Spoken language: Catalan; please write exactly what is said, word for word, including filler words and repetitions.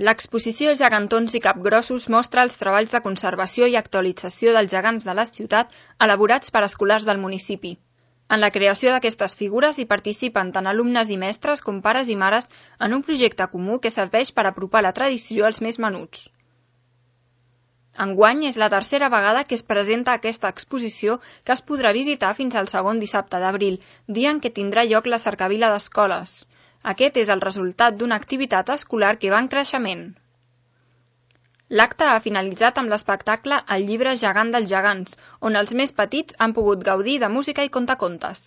L'exposició Gegantons i Capgrossos mostra els treballs de conservació i actualització dels gegants de la ciutat elaborats per escolars del municipi. En la creació d'aquestes figures hi participen tant alumnes i mestres com pares i mares en un projecte comú que serveix per apropar la tradició als més menuts. Enguany és la tercera vegada que es presenta aquesta exposició que es podrà visitar fins al segon dissabte d'abril, dia en què tindrà lloc la cercavila d'escoles. Aquest és el resultat d'una activitat escolar que va en creixement. L'acte ha finalitzat amb l'espectacle El llibre gegant dels gegants, on els més petits han pogut gaudir de música i contacontes.